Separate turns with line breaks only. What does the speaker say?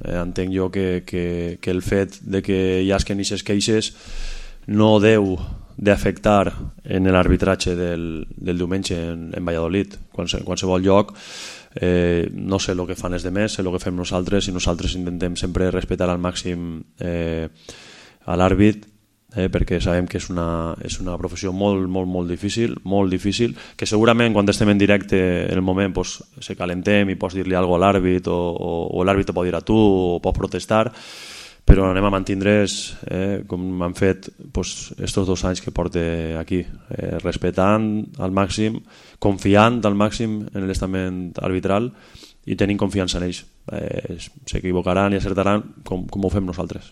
Entenc jo que el fet de que hi hagin aquestes queixes no deu d'afectar en l'arbitratge del diumenge en Valladolid. Qualsevol lloc, no sé el que fan els demés, sé el que fem nosaltres, i nosaltres intentem sempre respectar al màxim a l'àrbit, perquè sabem que és una professió molt difícil, que segurament quan estem en directe en el moment se calentem i pots dir-li alguna cosa a l'àrbit, o l'àrbit te pot dir a tu o pots protestar, però anem a mantindre's com han fet estos 2 anys que porte aquí, respectant al màxim, confiant al màxim en l'estament arbitral i tenint confiança en ells. S'equivocaran i acertaran com ho fem nosaltres.